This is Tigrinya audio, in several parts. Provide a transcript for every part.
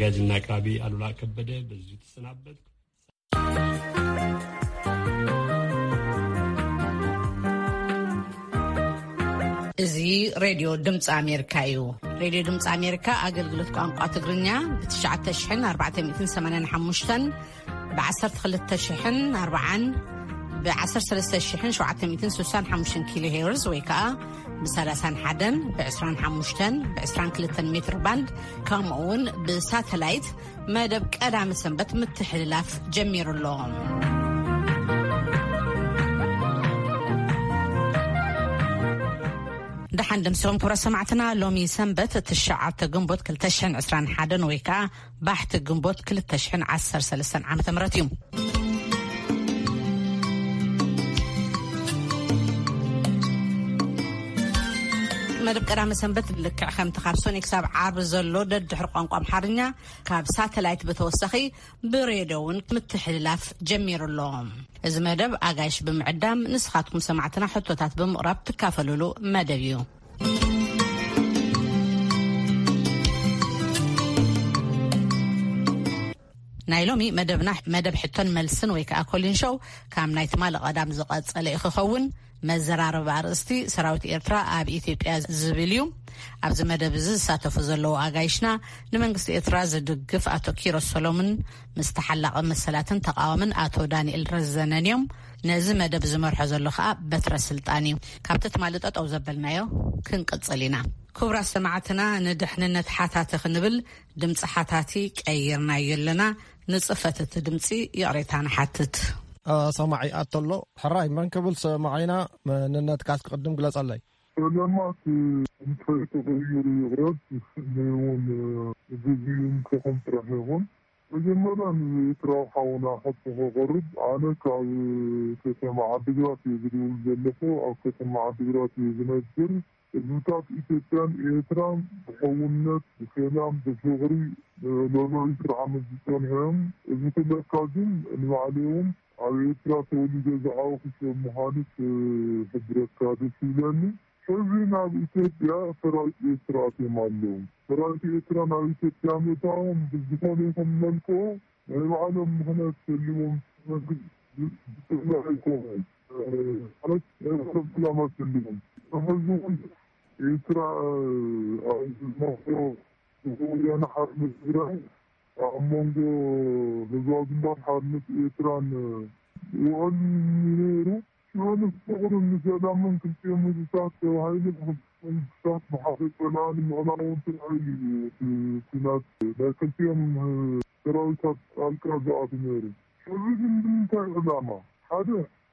ኣዘጋጅና ኣቅራቢ ኣሉላ ከበደ በዚሁ ትሰናበት። እዚ ሬድዮ ድምፂ ኣሜሪካ እዩ። ሬድዮ ድምፂ ኣሜሪካ ኣገልግሎት ቋንቋ ትግርኛ ብ ትሽዓተ ሽሕን ኣርባዕተ ሚእትን ሰማንያን ሓሙሽተን፣ ብ ዓሰርተ ክልተ ሽሕን ኣርባዓን፣ ብ ዓሰርተ ሰለስተ ሽሕን ሸውዓተ ሚእትን ስሳን ሓሙሽተን ኪሎ ሄርዝ ወይ ከዓ ብ ሰላሳን ሓደን፣ ብ ዕስራን ሓሙሽተን፣ ብ ዕስራን ክልተን ሜትር ባንድ፣ ከምኡ እውን ብሳተላይት መደብ ቀዳመ ሰንበት ምትሕልላፍ ጀሚሩ ኣሎ። ደሓን ደምሲኹም ክብረ ሰማዕትና። ሎሚ ሰንበት ትሽዓተ ግንቦት ክልተ ሽሕን ዕስራን ሓደን ወይ ከዓ ባሕቲ ግንቦት ክልተ ሽሕን ዓሰርተ ሰለስተን ዓመተ ምህረት እዩ። መደብ ቀዳመ ሰንበት ልክዕ ከምቲ ካብ ሶኒ ክሳብ ዓርቢ ዘሎ ደድሕሪ ቋንቋ ኣምሓርኛ ካብ ሳተላይት ብተወሳኺ ብሬድዮ እውን ምትሕልላፍ ጀሚሩ ኣሎ። እዚ መደብ ኣጋይሽ ብምዕዳም ንስኻትኩም ሰማዕትና ሕቶታት ብምቕራብ ትካፈሉሉ መደብ እዩ። ናይ ሎሚ መደብና መደብ ሕቶን መልስን ወይ ከዓ ኮሊን ሾው ካብ ናይ ትማሊ ቀዳም ዝቐጸለ እዩ ክኸውን። መዘራረቢ ኣርእስቲ ሰራዊት ኤርትራ ኣብ ኢትዮጵያ ዝብል እዩ። ኣብዚ መደብ እዚ ዝሳተፉ ዘለዉ ኣጋይሽና ንመንግስቲ ኤርትራ ዝድግፍ ኣቶ ኪሮስ ሰሎምን ምስ ተሓላቒ መሰላትን ተቃዋምን ኣቶ ዳንኤል ረዘነን እዮም። ነዚ መደብ ዝመርሖ ዘሎ ከዓ በትረ ስልጣን እዩ። ካብቲ ትማሊ ጠጠው ዘበልናዮ ክንቅጽል ኢና። ክቡራት ሰማዕትና፣ ንድሕንነት ሓታቲ ክንብል ድምፂ ሓታቲ ቀይርናዮ ኣለና። ንፅፈት እቲ ድምፂ ይቕሬታ ንሓትት። አ፣ ሰማዒ ኣቶ ኣሎ። ሕራይ መን ክብል ሰማዒና? መንነትካስ ክቕድም ግለጸለይ። ሰለማት እንታይ ተቐይሩ ይቕረብ፣ ንስኒ እውን ግዜኡ እንተኹም ጥራሕ ይኹን። መጀመርያ ንኤርትራዊ ሓውና ሕቶ ከቕርብ፣ ኣነ ካብ ከተማ ዓዲግራት እየ ዝድውል ዘለኹ። ኣብ ከተማ ዓዲግራት እየ ዝነብር። ህዝብታት ኢትዮጵያን ኤርትራን ብሕውነት፣ ብሰላም፣ ብፍቕሪ ንልዕሊ ዒስራ ዓመት ዝጸንሑ እዮም። እዚ ክብለካ ግን ንባዕለይ እውን ኣብ ኤርትራ ተወሊደ ዝዓበኹ ሰብ ምዃኑ ክሕብረካ ደስ ይብለኒ። ሕዚ ናብ ኢትዮጵያ ሰራዊት ኤርትራ ኣትዮም ኣለዉ። ሰራዊት ኤርትራ ናብ ኢትዮጵያ ምእታዎም ብዝኾነ ይኹን መልክዑ ናይ ባዕሎም ምኽንያት ተልዎም መንግስቲ ዝጥዕና ኣይኮኑን። ማለት ናይ ባዕሎም ዕላማ ተልዎም። ሕዚ እውን ኤርትራ ኣብ ዝመኽሮ ወያነ ሓርነት ትግራይ ኣብ መንጎ ህዝባዊ ግንባር ሓርነት ኤርትራን ውዕል ነይሩ። ሽዑ ንፍቕርን ንሰላምን ክልቲኦም ህዝብታት ተባሂሉ ብክልቲኦም መንግስታት ብሓደ ጸላኢ ንምዕላውን ጥራይ እዩ እቲ ኲናት ናይ ክልቲኦም ሰራዊታት ጣልቃ ዝኣቱ ነይሩ። ሕዚ ግን ብምንታይ ዕላማ? ሓደ፣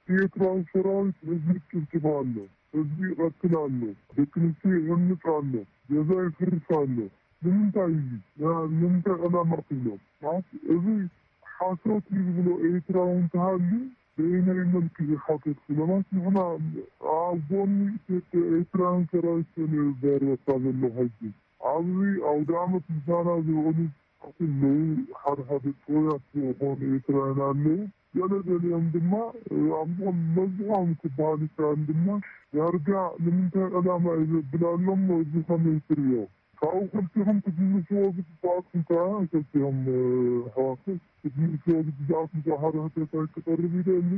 ኤርትራዊ ሰራዊት ህዝቢ ይጭፍጭፍ ኣሎ፣ ህዝቢ ይቐትል ኣሎ፣ ደቂ ኣንስትዮ ይዕምጽ ኣሎ፣ ገዛ ይፍርስ ኣሎ። ንምንታይ እዩ? ያ-፣ ንምንታይ ዕላማ ትብሎ? ማለት እዚ ሓሶት እዩ ዝብሎ ኤርትራዊ እንተሃልዩ በየናይ መልክዕ እዩ ሓሶት ክብሎ? ማለት ንሕና ኣብ ጎኒ ኢትዮጵያ ኤርትራውያን ሰራዊት ተነባርበካ ዘሎ ሕጂ ኣብዚ ኣውደ ዓመት ምሳና ዝውዕሉ ኣለዉ። ሓደ ሓደ ጥሩያት ዝኾኑ ኤርትራውያን ኣለዉ። ገለ ገሊኦም ድማ ኣብ ዝኾነ መብዝሖም ክበሃል ይከኣል ድማ ዳርጋ ንምንታይ ዕላማ እዩ ዘብል ኣሎ እሞ እዚ ከመይ ትርእዮ? ካብኡ ክልቲኹም ክትምልስዎ ዝግብኣኩም ከኣ ክልቲኹም ኣሕዋት ክትምልስዎ ዝግብኣኩም ከኣ ሓደ ሕቶታት ክቐርብ ይደሊ።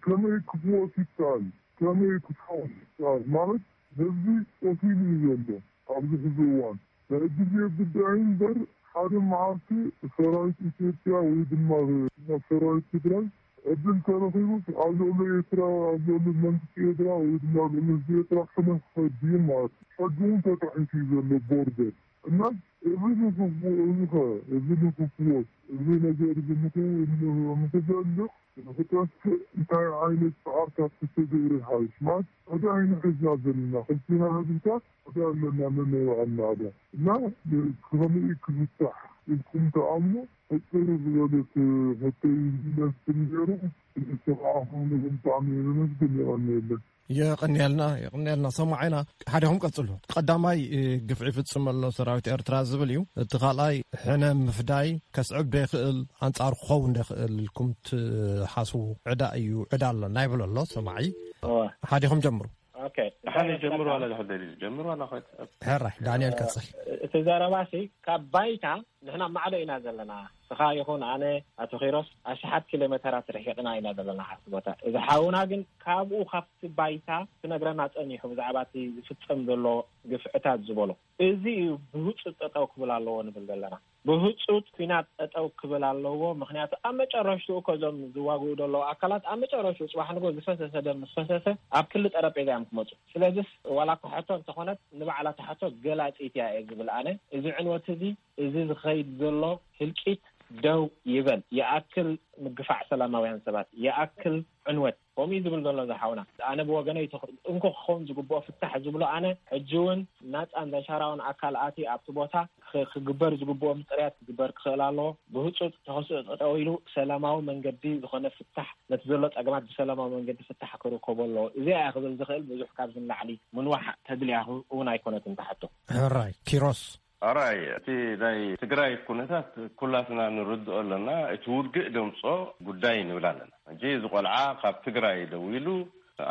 ከመይ ክፍወስ ይከኣል? ከመይ ክፍወስ ይከኣል? ማለት ህዝቢ ቆሲሉ እዩ ዘሎ ኣብዚ ሕዚ እዋን። ናይ ግዜ ጉዳይ እምበር ሓደ መዓልቲ ሰራዊት ኢትዮጵያ ወይ ድማ ሰራዊት ትግራይ ዕድል ተረኺቡስ ኣብ ልዕሊ ኤርትራ፣ ኣብ ልዕሊ መንግስቲ ኤርትራ ወይ ድማ ኣብ ልዕሊ ህዝቢ ኤርትራ ክነፍሐ ድዩ ማለት እዩ። ሕጂ እውን ተጣሒሱ እዩ ዘሎ ቦርደር። እና እዚ ንክፍዎ፣ እዚ ኸ፣ እዚ ንክፍወስ፣ እዚ ነገር እዚ ንክ-፣ ንክዘልቕ፣ ንክጠፍእ እንታይ ዓይነት ጻዕርታት ክተገብረ ይሓይሽ? ማለት ዕዳ ኢና ሒዝና ዘለና፣ ክልቲና ህዝብታት ዕዳ ኣለና ነናይ ባዕልና ዕዳ። እና ከመይ ክፍታሕ ኢልኩም ትኣምኑ? ሕጽር ዝበለት ሕቶይ ይመስል ነይሩ። ንሰማዕኹም ብጣዕሚ የመስግን። የቐንየልና። የቐንየልና፣ የቐንየልና ሰማዕና። ሓዲኹም ቀጽሉ። ቀዳማይ፣ እ፣ ግፍዒ ይፍጽም ኣሎ ሰራዊት ኤርትራ ዝብል እዩ። እቲ ካልኣይ ሕነ ምፍዳይ ከስዕብ ዶ ይኽእል፣ ኣንጻሩ ክኸውን ዶ ይኽእል ኢልኩም ትሓስቡ? ዕዳ እዩ፣ ዕዳ ኣሎ ናይ ብሎ ኣሎ ሰማዒ። እወ። ሓዲኹም ጀምሩ። ኦኬ። ሓዲ ጀምሩ ዋላ ድሕር ደሊሉ ጀምሩ ዋላ ኸት-፣ ሕራይ፣ ዳንኤል ቀጽል። እቲ ዘረባሲ ካብ ባይታ ንሕና ኣብ ማዕዶ ኢና ዘለና። ንስኻ ይኹን ኣነ፣ ኣቶ ኪሮስ፣ ኣሽሓት ኪሎ ሜተራት ርሒቕና ኢና ዘለና ካብቲ ቦታ። እዚ ሓውና ግን ካብኡ፣ ካብቲ ባይታ ክነግረና ጸኒሑ፣ ብዛዕባ እቲ ዝፍጸም ዘሎ ግፍዕታት ዝበሎ፣ እዚ እዩ ብህጹጽ ጠጠው ክብል ኣለዎ ንብል ዘለና። ብህጹጽ ኲናት ጠጠው ክብል ኣለዎ። ምኽንያቱ ኣብ መጨረሽትኡ እኮ እዞም ዝዋግኡ ዘለዉ ኣካላት፣ ኣብ መጨረሽትኡ ጽባሕ ንጎ ዝፈሰሰ ደም ምስ ፈሰሰ ኣብ ክሊ ጠረጴዛ እዮም ክመጹ። ስለዚስ ዋላ እኳ ሕቶ እንተኾነት፣ ንባዕላ እታ ሕቶ ገላጺት እያ እየ ዝብል ኣነ። እዚ ዕንወት እዚ፣ እዚ ዝኸይድ ዘሎ ህልቂት ደው ይበል። ይኣክል ምግፋዕ ሰላማውያን ሰባት፣ ይኣክል ዕንወት። ከምኡ እዩ ዝብል ዘሎ ዝሓውና። ኣነ ብወገነይ እቲ እንኮ ክኸውን ዝግብኦ ፍታሕ ዝብሎ፣ ኣነ ሕጂ እውን ናጻን ዘሻራውን ኣካል ኣቲ ኣብቲ ቦታ ክ-፣ ክግበር ዝግብኦ ምጽርያት ክግበር ክኽእል ኣለዎ። ብህጹጽ ተኸስኦ ጠጠው ኢሉ ሰላማዊ መንገዲ ዝኾነ ፍታሕ፣ ነቲ ዘሎ ጸገማት ብሰላማዊ መንገዲ ፍታሕ ክርከቦ ኣለዎ። እዚኣ እያ ክብል ዝኽእል። ብዙሕ ካብዚ ንላዕሊ ምንዋሕ ተድልያ እውን ኣይኮነትን እታ ሕቶ። ሕራይ ኪሮስ። ኣራይ፣ እቲ ናይ ትግራይ ኩነታት ኩላትና ንርድኦ ኣለና። እቲ ውግእ ደምጾ ጉዳይ ንብል ኣለና። ሕጂ እዚ ቆልዓ ካብ ትግራይ ደዊሉ፣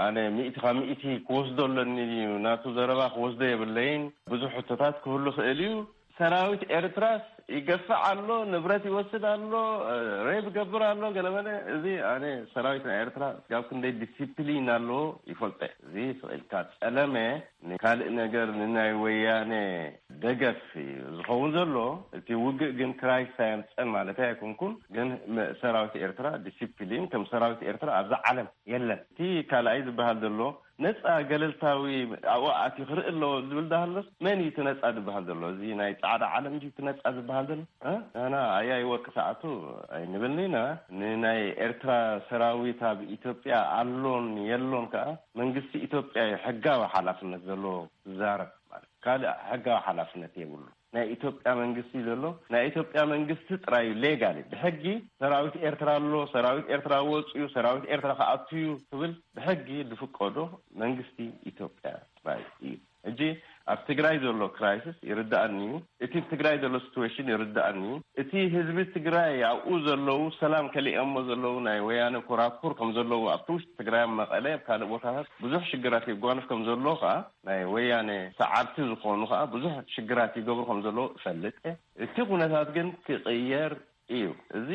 ኣነ ሚእቲ ካብ ሚእቲ ክወስዶ ኣለኒ ድዩ፣ ናቱ ዘረባ ክወስዶ የብለይን፣ ብዙሕ ሕቶታት ክህሉ ክእል እዩ። ሰራዊት ኤርትራስ ይገፍዕ ኣሎ፣ ንብረት ይወስድ ኣሎ፣ ሬብ ይገብር ኣሎ፣ ገለመለ። እዚ ኣነ ሰራዊት ናይ ኤርትራ ጋብ ክንደይ ዲሲፕሊን ኣለዎ ይፈልጦ። እዚ ስቕ ኢልካ ጸለመ ንካልእ ነገር፣ ንናይ ወያነ ደገፍ እዩ ዝኸውን ዘሎ። እቲ ውግእ ግን ክራይስ ኣየምጸን ማለት ኣይኮንኩን፣ ግን መ-፣ ሰራዊት ኤርትራ ዲሲፕሊን ከም ሰራዊት ኤርትራ ኣብዛ ዓለም የለን። እቲ ካልኣይ ዝበሃል ዘሎ ነጻ ገለልታዊ ኣብኡ ኣትዩ ክርኢ ኣለዎ ዝብል ዳሃሎስ፣ መን እዩ እቲ ነጻ ዝበሃል ዘሎ? እዚ ናይ ጻዕዳ ዓለም ድዩ እቲ ነጻ ዝበሃል ዘሎ? እ? ንሕና ኣያይ ወርቂ ሰዓቱ ኣይንብልን ኢና። ንናይ ኤርትራ ሰራዊት ኣብ ኢትዮጵያ ኣሎን የሎን ከኣ መንግስቲ ኢትዮጵያ እዩ ሕጋዊ ሓላፍነት ዘለዎ ዝዛረብ ማለት። ካልእ ሕጋዊ ሓላፍነት የብሉ። ናይ ኢትዮጵያ መንግስቲ ዘሎ፣ ናይ ኢትዮጵያ መንግስቲ ጥራይ እዩ ሌጋሊ፣ ብሕጊ ሰራዊት ኤርትራ ኣሎ፣ ሰራዊት ኤርትራ ወጽኡ፣ ሰራዊት ኤርትራ ክኣቱ እዩ ክብል ብሕጊ ዝፍቀዶ መንግስቲ ኢትዮጵያ ጥራይ እዩ። ሕጂ ኣብ ትግራይ ዘሎ ክራይሲስ ይርዳኣኒ እዩ። እቲ ኣብ ትግራይ ዘሎ ሲትዌሽን ይርዳኣኒ እዩ። እቲ ህዝቢ ትግራይ ኣብኡ ዘለዉ ሰላም ከሊኦሞ ዘለዉ ናይ ወያነ ኮራኩር ከም ዘለዉ ኣብቲ ውሽጢ ትግራይ ኣብ መቐለ ኣብ ካልእ ቦታታት ብዙሕ ሽግራት የጓንፍ ከም ዘሎ ከዓ ናይ ወያነ ሰዓብቲ ዝኾኑ ከዓ ብዙሕ ሽግራት ይገብሩ ከም ዘለዉ እፈልጥ እየ። እቲ ኩነታት ግን ክቕየር እዩ። እዚ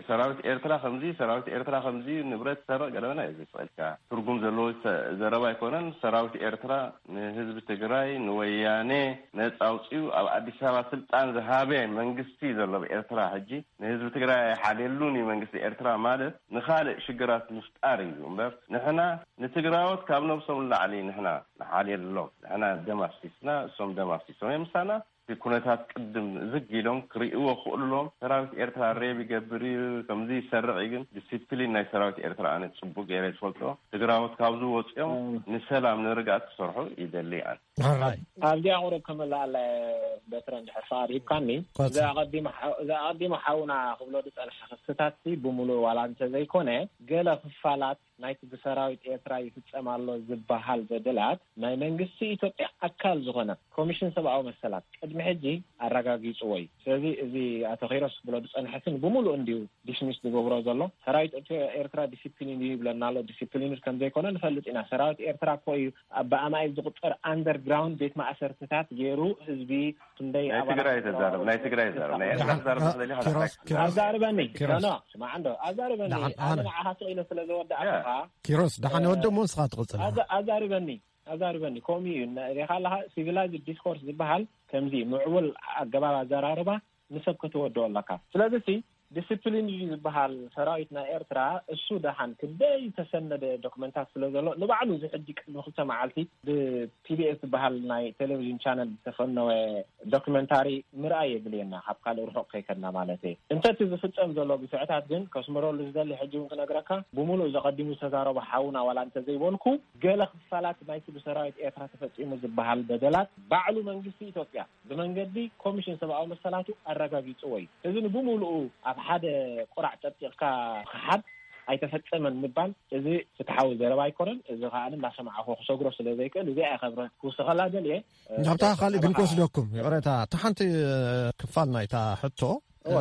ሰራዊት ኤርትራ ከምዚ፣ ሰራዊት ኤርትራ ከምዚ፣ ንብረት ሰረቕ ገለመለ እዚ ስቕ ኢልካ ትርጉም ዘለዎ ዘረባ ኣይኮነን። ሰራዊት ኤርትራ ንህዝቢ ትግራይ ንወያነ ነጻ ኣውጺኡ ኣብ ኣዲስ ኣበባ ስልጣን ዝሃበ መንግስቲ ዘሎ ኣብ ኤርትራ ሕጂ ንህዝቢ ትግራይ ኣይሓልየሉን እዩ መንግስቲ ኤርትራ ማለት ንኻልእ ሽግራት ምፍጣር እዩ እምበር ንሕና ንትግራዎት ካብ ነብሶም ንላዕሊ ንሕና ንሓልየሎም። ንሕና ደም ኣፍሲስና እሶም ደም ኣፍሲሶም እዮም ምሳና። እቲ ኩነታት ቅድም ዝግ ኢሎም ክርእይዎ ክኽእሉሎም ሰራዊት ኤርትራ ሬብ ይገብር እዩ ከምዚ ይሰርቕ እዩ ግን ዲሲፕሊን ናይ ሰራዊት ኤርትራ ኣነ ጽቡቅ ገይረ ዝፈልጦ ትግራዎት ካብዚ ወፂኦም ንሰላም ንርግኣት ክሰርሑ ይደሊ ኣነ። ሕራይ ኣብዚኣ ቁሩብ ክምልኣለ በትረ እንድሕር ፍቓድ ሂብካኒ። እዛ ኣቐዲሙ ሓ- እዛ ኣቐዲሙ ሓውና ክብሎ ዝጸንሐ ክስታት ሲ ብምሉእ ዋላ እንተዘይኮነ ገለ ክፋላት ናይቲ ብሰራዊት ኤርትራ ይፍጸም ኣሎ ዝበሃል በደላት ናይ መንግስቲ ኢትዮጵያ ኣካል ዝኾነ ኮሚሽን ሰብኣዊ መሰላት ቅድሚ ሕጂ ኣረጋጊጽዎ እዩ። ስለዚ እዚ ኣቶ ኪሮስ ክብሎ ዝጸንሐ ሲ ብምሉእ እንድዩ ዲስሚስ ዝገብሮ ዘሎ። ሰራዊት ኤርትራ ዲሲፕሊን እዩ ይብለና ኣሎ። ዲሲፕሊን ከም ዘይኮነ ንፈልጥ ኢና። ሰራዊት ኤርትራ እኮ እዩ ኣብ ብኣማኢት ዝቁጸር ኣንደርግራውንድ ቤት ማእሰርትታት ገይሩ ህዝቢ ክንደይ ናይ ኣባላት ትግራይ ተዛረብ፣ ናይ ትግራይ ተዛረብ፣ ናይ ኤርትራ ተዛረብ ትደሊ ኪሮስ፣ ኪሮስ፣ ኣዛርበኒ። ኪሮስ። ኖ፣ ኖ፣ ስማዕ እንዶ፣ ኣዛርበኒ። ደሓን፣ ኣነ ኣነ ንዓኻ ስቕ ኢለ ስለ ዘወዳእኩኻ፣ ኪሮስ፣ ደሓን እ፣ የወደሞ ንስኻ ትቕጽል። ኣዛ-፣ ኣዛርበኒ፣ ኣዛርበኒ። ከምኡ እዩ። ሪኻ ኣለኻ፣ ሲቪላይዝድ ዲስኮርስ ዝበሃል ከምዚ ምዕቡል ኣገባብ ኣዘራርባ ንሰብ ከተወድኦ ኣለካ። ስለዚ ሲ ዲስፕሊን እዩ ዝበሃል ሰራዊት ናይ ኤርትራ፣ እሱ ደሓን ክንደይ ዝተሰነደ ዶክመንታት ስለ ዘሎ፣ ንባዕሉ እዚ ሕጂ ቅድሚ ክልተ መዓልቲ ብቲቢኤስ ዝበሃል ናይ ቴሌቪዥን ቻነል ዝተፈነወ ዶክመንታሪ ምርኣይ የድልየና፣ ካብ ካልእ ርሑቕ ከይከድና ማለት እየ። እንተ እቲ ዝፍጸም ዘሎ ግፍዕታት ግን ከስምረሉ ዝደሊ ሕጂ እውን ክነግረካ፣ ብምሉእ ዘቐዲሙ ዝተዛረቦ ሓውና ዋላ እንተዘይበልኩ፣ ገለ ክፋላት ናይቲ ብሰራዊት ኤርትራ ተፈጺሙ ዝበሃል በደላት ባዕሉ መንግስቲ ኢትዮጵያ ብመንገዲ ኮሚሽን ሰብኣዊ መሰላቱ ኣረጋጊጽዎ እዩ። እዚ ንብምሉኡ ኣብ ሓደ ቁራዕ ጸብጺቕካ ክሓድ ኣይተፈጸመን ምባል፣ እዚ ፍትሓዊ ዘረባ ኣይኮነን። እዚ ከኣ እናሰማዕኹ ክሰግሮ ስለ ዘይክእል፣ እዚኣ እየ ከብረ ክውስኸላ ደልየ። ናብታ ካልእ ግን ክወስደኩም፣ ይቕሬታ፣ እታ ሓንቲ ክፋል ናይታ ሕቶ፣ እዋ።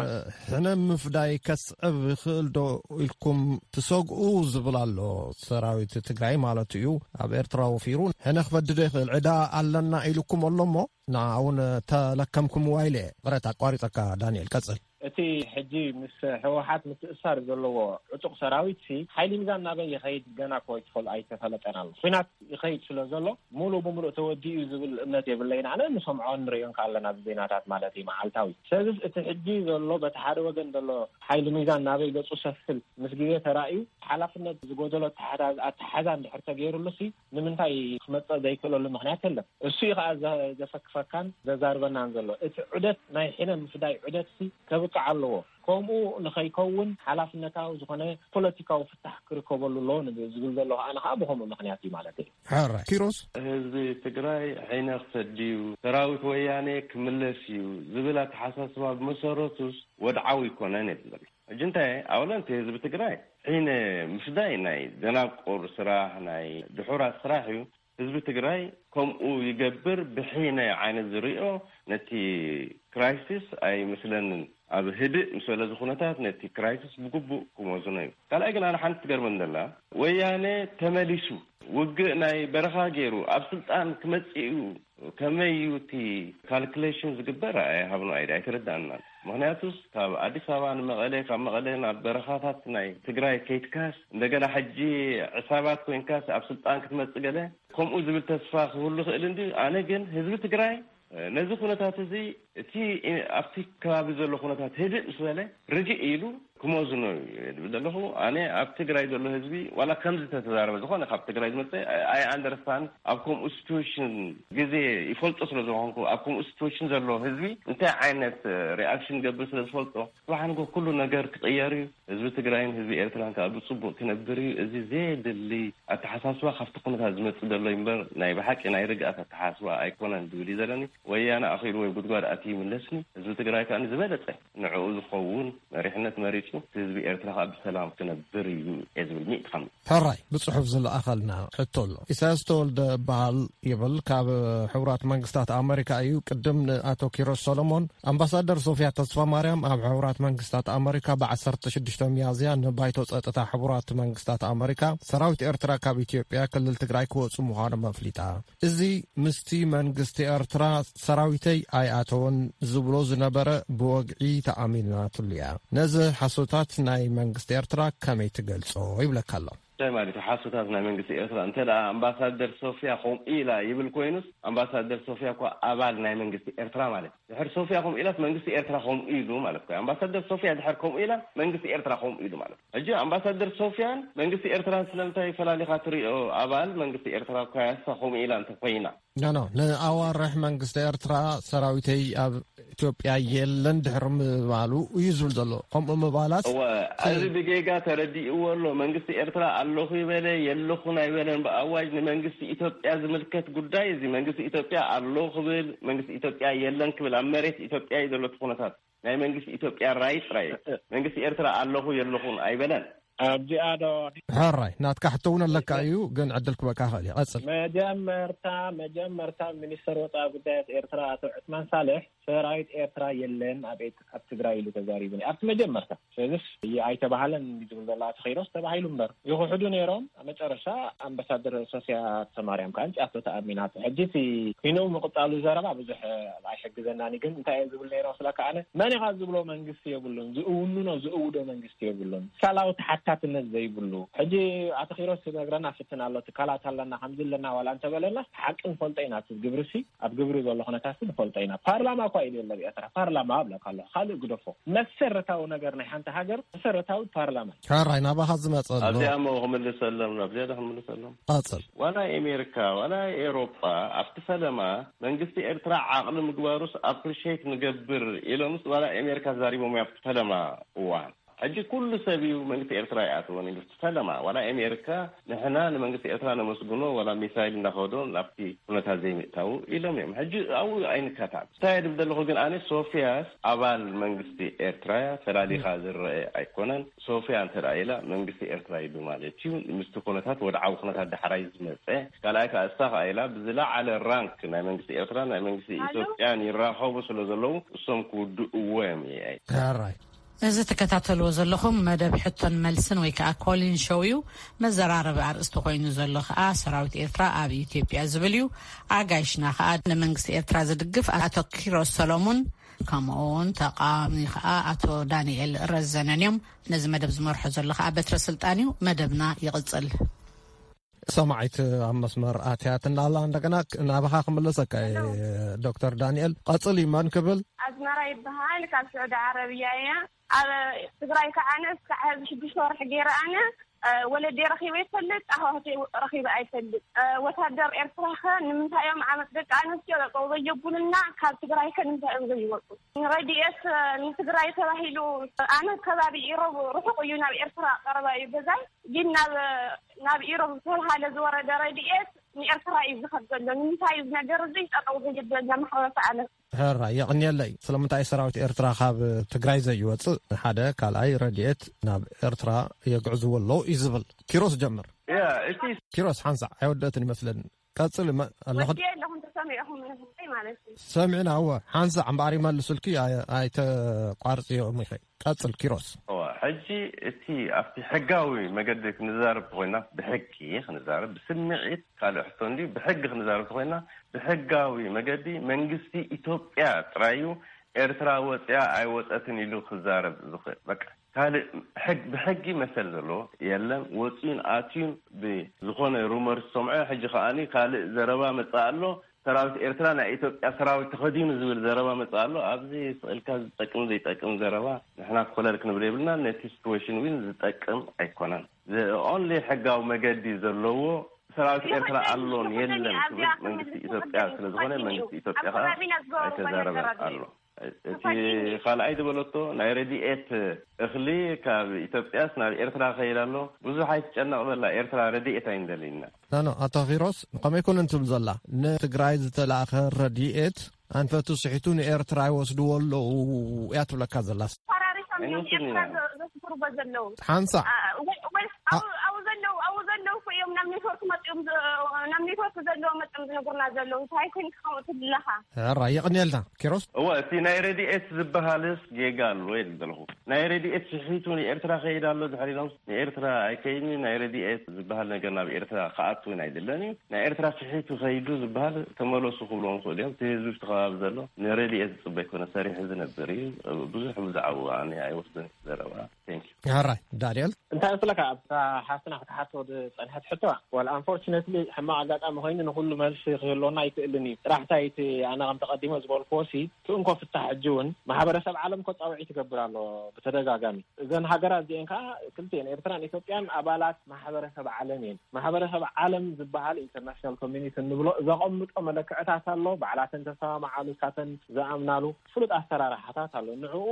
ሕነ ምፍዳይ ከስዕብ ይኽእል ዶ ኢልኩም ትሰግኡ ዝብል ኣሎ። ሰራዊት ትግራይ ማለት እዩ፣ ኣብ ኤርትራ ወፊሩ ሕነ ክፈዲ ዶ ይኽእል? ዕዳ ኣለና ኢሉኩም ኣሎ እሞ ንዓውን ተለከምኩምዋ ኢለ። ቅረት ኣቋሪጸካ ዳንኤል፣ ቀጽል። እቲ ሕጂ ምስ ህወሓት ምትእሳር ዘለዎ ዕጡቕ ሰራዊት ሲ ሓይሊ ሚዛን ናበይ ይኸይድ ገና እኮ ኣይትፈል-፣ ኣይተፈለጠን ኣሎ። ኲናት ይኸይድ ስለ ዘሎ ሙሉ ብምሉእ ተወዲኡ እዩ ዝብል እምነት የብለይን። ኣነ ንሰምዖ ንሪኦን ከኣለና ብዜናታት ማለት እዩ መዓልታዊ። ስለዚ እቲ ሕጂ ዘሎ በቲ ሓደ ወገን ዘሎ ሓይሊ ሚዛን ናበይ ገጹ ሰፍል ምስ ግዜ ተራእዩ ሓላፍነት ዝጎደሎ ኣተሓዛ-፣ ኣተሓዛ እንድሕር ተገይሩሉ ሲ ንምንታይ ክመጽእ ዘይክእለሉ ምኽንያት የለን። እሱ እዩ ከኣ ዘ-፣ ዘፈክፈካን ዘዛርበናን ዘሎ። እቲ ዑደት ናይ ሕነ ምፍዳይ ዑደት ሲ ከብቅዕ ኣለዎ። ከምኡ ንኸይከውን ሓላፍነታዊ ዝኾነ ፖለቲካዊ ፍታሕ ክርከበሉ ኣለዎ ንብ-፣ ዝብል ዘለኹ ኣነ ኸዓ ብኸምኡ ምኽንያት እዩ ማለት እዩ። ሕራይ። ኪሮስ? ህዝቢ ትግራይ ዓይነ ክሰድ እዩ፣ ሰራዊት ወያኔ ክምለስ እዩ ዝብል ኣተሓሳስባ ብመሰረቱስ ወድዓዊ ኣይኮነን እዩ ዝብል። ሕጂ እንታይ ኣውለንቲ ህዝቢ ትግራይ ዓይነ ምፍዳይ ናይ ደናቁር ስራሕ፣ ናይ ድሑራት ስራሕ እዩ። ህዝቢ ትግራይ ከምኡ ይገብር ብሒነ ዓይነት ዝሪኦ ነቲ ክራይሲስ ኣይመስለንን። ኣብ ህድእ ምስ በለ እዚ ኩነታት ነቲ ክራይሲስ ብግቡእ ክመዝኖ እዩ። ካልኣይ ግን ኣነ ሓንቲ ትገርመን ዘላ ወያነ ተመሊሱ ውግእ ናይ በረኻ ገይሩ ኣብ ስልጣን ክመጽእ እዩ። ከመይ እዩ እቲ ካልኩሌሽን ዝግበር? ኣይሃብኖ ኣይደ ኣይተረዳእናን። ምኽንያቱስ ካብ ኣዲስ ኣበባ ንመቐለ፣ ካብ መቐለ ናብ በረኻታት ናይ ትግራይ ከይትካስ እንደገና ሕጂ ዕሳባት ኮይንካስ ኣብ ስልጣን ክትመጽእ ገለ ከምኡ ዝብል ተስፋ ክህሉ ይኽእል እንዲ። ኣነ ግን ህዝቢ ትግራይ ነዚ ኩነታት እዚ እቲ ኣብቲ ከባቢ ዘሎ ኩነታት ህድእ ምስ በለ ርግእ ኢሉ ክመዝኖ እዩ ዝብል ዘለኹ። ኣነ ኣብ ትግራይ ዘሎ ህዝቢ ዋላ ከምዚ ተተዛረበ ዝኾነ ካብ ትግራይ ዝመፀ ኣይ ኣንደርስታንድ ኣብ ከምኡ ሲትዌሽን ግዜ ይፈልጦ ስለ ዝኾንኩ ኣብ ከምኡ ሲትዌሽን ዘሎ ህዝቢ እንታይ ዓይነት ሪኣክሽን ገብር ስለ ዝፈልጦ ጽባሕ ንጎ ኩሉ ነገር ክቕየር እዩ። ህዝቢ ትግራይን ህዝቢ ኤርትራን ከዓ ብጽቡቕ ክነብር እዩ። እዚ ዘየድሊ ኣተሓሳስባ ካብቲ ኩነታት ዝመጽእ ዘሎ እዩ እምበር ናይ ብሓቂ ናይ ርግኣት ኣተሓሳስባ ኣይኮነን ዝብል እዩ ዘለኒ። ወያነ ኣኺሉ ወይ ጉድጓድ ኣትዩ ይምለስኒ። ህዝቢ ትግራይ ከዓ ዝበለጸ ንዕኡ ዝኸውን መሪሕነት መሪጹ ህዝቢ ኤርትራ ከዓ ብሰላም ክነብር እዩ እየ ዝብል ሚእቲ ሓምሳ። ሕራይ ብጽሑፍ ዝለኣኸልና ሕቶ ኣሎ። ኢሳያስ ተወልደ እበሃል ይብል፣ ካብ ሕቡራት መንግስታት ኣመሪካ እዩ። ቅድም ንኣቶ ኪሮስ ሰሎሞን፣ ኣምባሳደር ሶፊያ ተስፋ ማርያም ኣብ ሕቡራት መንግስታት ኣመሪካ ብ ዓሰርተ ሽዱሽተ ሚያዝያ ንባይቶ ጸጥታ ሕቡራት መንግስታት ኣመሪካ ሰራዊት ኤርትራ ካብ ኢትዮጵያ ክልል ትግራይ ክወጹ ምዃኖም ኣፍሊጣ። እዚ ምስቲ መንግስቲ ኤርትራ ሰራዊተይ ኣይኣተወን ዝብሎ ዝነበረ ብወግዒ ተኣሚናትሉ እያ። ነዚ ሓሶታት ናይ መንግስቲ ኤርትራ ከመይ ትገልጾ ይብለካ ኣሎ። እንታይ ማለት እዩ ሓሶታት ናይ መንግስቲ ኤርትራ? እንተ ደኣ ኣምባሳደር ሶፊያ ከምኡ ኢላ ይብል ኮይኑስ፣ ኣምባሳደር ሶፊያ እኳ ኣባል ናይ መንግስቲ ኤርትራ ማለት እዩ። ድሕር ሶፊያ ከምኡ ኢላስ መንግስቲ ኤርትራ ከምኡ ኢሉ ማለት እኮ እዩ። ኣምባሳደር ሶፊያ ድሕር ከምኡ ኢላ መንግስቲ ኤርትራ ከምኡ ኢሉ ማለት እዩ። ሕጂ ኣምባሳደር ሶፊያን መንግስቲ ኤርትራን ስለምንታይ ፈላሊኻ ትሪኦ? ኣባል መንግስቲ ኤርትራ እኳ እያ እሳ ከምኡ ኢላ እንተ ኮይና። ኖ፣ ኖ፣ ንኣዋርሕ መንግስቲ ኤርትራ ሰራዊተይ ኣብ ኢትዮጵያ የለን ድሕሪ ምባሉ እዩ ዝብል ዘሎ። ከምኡ ምባላስ እወ፣ እዚ ብጌጋ ተረዲእዎ ኣሎ። መንግስቲ ኤርትራ ኣለኹ ይበለ የለኹን ኣይበለን። ብኣዋጅ ንመንግስቲ ኢትዮጵያ ዝምልከት ጉዳይ እዚ መንግስቲ ኢትዮጵያ ኣሎ ክብል፣ መንግስቲ ኢትዮጵያ የለን ክብል፣ ኣብ መሬት ኢትዮጵያ እዩ ዘሎ እቲ ኩነታት። ናይ መንግስቲ ኢትዮጵያ ራይ ጥራይ እዩ። መንግስቲ ኤርትራ ኣለኹ የለኹን ኣይበለን። ኣብዚኣ ዶ? ሕራይ፣ ናትካ ሕቶ እውን ኣለካ እዩ፣ ግን ዕድል ክበካ ክእል እዩ። ቀጽል። መጀመርታ፣ መጀመርታ ሚኒስተር ወጻኢ ጉዳያት ኤርትራ ኣቶ ዑስማን ሳልሕ ሰራዊት ኤርትራ የለን ኣብ ኤት-፣ ኣብ ትግራይ ኢሉ ተዛሪቡ ነይሩ። ኣብቲ መጀመርታ። ስለዚስ ይ-፣ ኣይተባህለን እንዲ ዝብል ዘላ ተኸይዶስ ተባሂሉ እምበር። ይኽሕዱ ነይሮም። ኣብ መጨረሻ ኣምባሳደር ሶፊያ ተማርያም ከኣ እንጭኣቶ ተኣሚናቶ። ሕጂ እቲ ኪኖ ምቕጻሉ ዘረባ ብዙሕ ኣይሕግዘናን እዩ። ግን እንታይ እየ ዝብል ነይረ መስለካ ኣነ? መን ኢኻ ዝብሎ መንግስቲ የብሉን። ዝእውኑ ነው ዝእውዶ መንግስቲ የብሉን። ትካላዊ ተሓታትነት ዘይብሉ። ሕጂ ኣቶ ኪሮስ ክነግረና ፍትን ኣሎ። ትካላት ኣለና፣ ከምዚ ኣለና ዋላ እንተበለና፣ ሓቂ ንፈልጦ ኢና። እቲ ግብርሲ፣ ኣብ ግብሪ ዘሎ ኩነታት ንፈልጦ ኢና። ፓርላማ እኳ ኢሉ የለ ኣብ ኤርትራ። ፓርላማ እብለካ ኣለኹ። ካልእ ግደፎ። መሰረታዊ ነገር ናይ ሓንቲ ሃገር መሰረታዊ ፓርላማ እዩ። ሕራይ ናባኻ ዝመጸ ኣሎ። ኣብዚኣ እሞ ክምልሰሎም፣ ናብ ዝያዳ ክምልሰሎም። ቀጽል። ዋላ ኣሜሪካ፣ ዋላ ኤሮጳ፣ ኣብቲ ፈለማ መንግስቲ ኤርትራ ዓቕሊ ምግባሩስ ኣፕሪሼት ንገብር ኢሎምስ ዋላ ኣሜሪካ ተዛሪቦም ኣብቲ ፈለማ እዋን። ሕጂ ኩሉ ሰብ እዩ መንግስቲ ኤርትራ ይኣትወን ኢሉ ፈለማ፣ ዋላ ኣሜሪካ ንሕና ንመንግስቲ ኤርትራ ነመስግኖ፣ ዋላ ሚሳይል እንዳኸዶ ናብቲ ኩነታት ዘይምእታው ኢሎም እዮም። ሕጂ ኣብኡ ኣይንካታዕ። እንታይ ድብል ዘለኹ ግን፣ ኣነ ሶፊያስ ኣባል መንግስቲ ኤርትራ እያ፣ ፈላሊኻ ዝረአ ኣይኮነን። ሶፊያ እንተ ደኣ ኢላ መንግስቲ ኤርትራ እዩ ማለት እዩ። ምስቲ ኩነታት ወድዓዊ ኩነታት ዳሕራይ ዝመጸ። ካልኣይ ከኣ እሳ ከኣ ኢላ ብዝለዓለ ራንክ ናይ መንግስቲ ኤርትራ ናይ መንግስቲ ኢትዮጵያን ይራኸቡ ስለ ዘለዉ እሶም ክውድእዎ እዮም እየ። ሕራይ። እዚ ትከታተልዎ ዘለኹም መደብ ሕቶን መልስን ወይ ከዓ ኮሊን ሾው እዩ። መዘራረቢ ኣርእስቲ ኮይኑ ዘሎ ከዓ ሰራዊት ኤርትራ ኣብ ኢትዮጵያ ዝብል እዩ። ኣጋይሽና ከዓ ንመንግስቲ ኤርትራ ዝድግፍ ኣቶ ኪሮስ ሰሎሙን፣ ከምኡ እውን ተቃዋሚ ከዓ ኣቶ ዳንኤል ረዘነን እዮም። ነዚ መደብ ዝመርሖ ዘሎ ከዓ በትረ ስልጣን እዩ። መደብና ይቕጽል። ሰማዒት ኣብ መስመር ኣትያትና ኣላ። እንደገና ክ-፣ ናባኻ ክምለሰካ እየ፣ ዶክተር ዳንኤል። ቀጽል እዩ። መን ክብል? ኣዝመራ ይበሃል፣ ካብ ስዑዲ ዓረብያ እያ። ኣብ ትግራይ ከዓ ኣነ እስካዕ ሕዚ ሽዱሽተ ወርሒ ገይረ ኣነ፣ እ፣ ወለደይ ረኺበ ይፈልጥ፣ ኣሕዋተይ ረኺበ ኣይፈልጥ። እ፣ ወታደር ኤርትራ ኸ ንምንታይ እዮም ዓመት ደቂ ኣንስትዮ ጠጠው ዘየብሉና? ካብ ትግራይ ከ ንምንታይ እዮም ዘይወጡ? ረድኤት፣ እ፣ ንትግራይ ተባሂሉ፣ ኣነ ከባቢ ኢሮብ ርሑቕ እዩ፣ ናብ ኤርትራ ቀረባ እዩ ገዛይ። ግን ናብ፣ ናብ ኢሮብ ዝተባሃለ ዝወረደ ረድኤት ንኤርትራ እዩ ዝኸድ ዘሎ። ንምንታይ እዩ እዚ ነገር እዚ ጠጠው ዘይብል ዘሎ ማሕበረሰብ ዓለም? ሕራይ፣ የቕንየለይ። ስለምንታይ ሰራዊት ኤርትራ ካብ ትግራይ ዘይወፅእ? ሓደ፣ ካልኣይ፣ ረድኤት ናብ ኤርትራ የግዕዝዎ ኣለዉ እዩ ዝብል። ኪሮስ ጀምር። ያ፣ እቲ ኪሮስ ሓንሳዕ ኣይወደእትን ይመስለኒ። ቀፅል፣ መ-፣ ኣለኹ። ወዲ ኣለኹም ተሰሚዕኹም ንህዝቢ ማለት እዩ። ሰሚዕና፣ እወ። ሓንሳዕ እምበኣር ይመልሱልኪ፣ ኣይ-፣ ኣይተቋርፅዮም ኢኸ። ቀጽል ኪሮስ። እዋ፣ ሕጂ እቲ ኣብቲ ሕጋዊ መገዲ ክንዛረብ ተኾይና፣ ብሕጊ ክንዛረብ፣ ብስምዒት ካልእ ሕቶ እንድዩ። ብሕጊ ክንዛረብ ተኾይና፣ ብሕጋዊ መገዲ መንግስቲ ኢትዮጵያ ጥራይ እዩ ኤርትራ ወጽያ ኣይወጸትን ኢሉ ክዛረብ ዝኽእል። በቃ፣ ካልእ ሕግ-፣ ብሕጊ መሰል ዘለዎ የለን። ወጽዩን ኣትዩን ብዝኾነ ሩመር ዝሰምዖ፣ ሕጂ ከኣኒ ካልእ ዘረባ መጽእ ኣሎ። ሰራዊት ኤርትራ ናይ ኢትዮጵያ ሰራዊት ተኸዲኑ ዝብል ዘረባ መጽእ ኣሎ። ኣብዚ ስቕ ኢልካ ዝጠቅም ዘይጠቅም ዘረባ ንሕና ኮለል ክንብል የብልና። ነቲ ሲትዌሽን እውን ዝጠቅም ኣይኮነን። The only ሕጋዊ መገዲ ዘለዎ ሰራዊት ኤርትራ ኣሎን የለን ክብል መንግስቲ ኢትዮጵያ ስለ ዝኾነ መንግስቲ ኢትዮጵያ ከዓ ኣይተዛረበን ኣሎ። እቲ ካልኣይ ዝበለቶ ናይ ረድኤት እኽሊ ካብ ኢትዮጵያስ ናብ ኤርትራ ከይድ ኣሎ። ብዙሕ ኣይትጨነቕ በላ፣ ኤርትራ ረድኤት ኣይንደልይና። ኖ፣ ኖ፣ ኣቶ ኪሮስ፣ ከመይ ኮነ እንትብል ዘላ፣ ንትግራይ ዝተላእኸ ረድኤት ኣንፈቱ ስሒቱ ንኤርትራ ይወስድዎ ኣለዉ እያ ትብለካ ዘላ። ፈራሪሶም እዮም ኣይወስድን ኢና። ኤርትራ ዘ-፣ ዘስፍርዎ ዘለዉ። ሓንሳእ። አ፣ ወይ፣ ወይ፣ አ- ኣብኡ፣ ኣብኡ ዘለዉ፣ ኣብኡ ዘለዉ እኮ እዮም ናብ ኔትወርክ መጺኦም ዝ-፣ ናብ ኔትወርክ ዘለዉ መጺኦም ዝነግሩና ዘለዉ። እንታይ ኮይንካ ከምኡ ትብለኻ? ሕራይ፣ የቕንየልና ኪሮስ። እወ፣ እቲ ናይ ረድኤት ዝበሃልስ ጌጋ ኣሎ ኢለ ዘለኹ። ናይ ረድኤት ስሒቱ ንኤርትራ ከይድ ኣሎ ድሕሪ ኢሎም ንኤርትራ ኣይከይድን እዩ። ናይ ረድኤት ዝበሃል ነገር ናብ ኤርትራ ክኣቱ እውን ኣይደለን እዩ። ናይ ኤርትራ ስሒቱ ከይዱ ዝበሃል ተመለሱ ክብልዎም ይኽእሉ እዮም። እቲ ህዝቢ ኣብቲ ከባቢ ዘሎ ንረድኤት ዝጽበ ኣይኮነ፣ ሰሪሑ ዝነብር እዩ። ብዙሕ ብዛዕባኡ ኣነ ኣይወስድን ዘረባ። Thank you። ሕራይ፣ ዳንኤል። እንታይ መስለካ፣ ኣብታ ሓፍትና ክትሓቶ ዝጸንሐት ሕቶ፣ well, unfortunately፣ ሕማቕ ኣጋጣሚ ኮይኑ ንኹሉ መልሲ ክህልወና ኣይክእልን እዩ። ጥራሕ እንታይ፣ እቲ ኣነ ከም ተቐዲሞ ዝበልክዎ ሲ፣ እቲ እንኮ ፍታሕ ሕጂ እውን ማሕበረሰብ ዓለም እኮ ጻውዒት ይገብር ኣሎ ብተደጋጋሚ። እዘን ሃገራት እዚአን ከዓ ክልቲአን ኤርትራን ኢትዮጵያን ኣባላት ማሕበረሰብ ዓለም እየን። ማሕበረሰብ ዓለም ዝበሃል ኢንተርናሽናል ኮሚኒቲ እንብሎ ዘቐምጦ መለክዕታት ኣሎ። ባዕላተን ተሰማምዓሉ፣ እሳተን ዝኣምናሉ ፍሉጥ ኣሰራርሓታት ኣሎ። ንዕኡ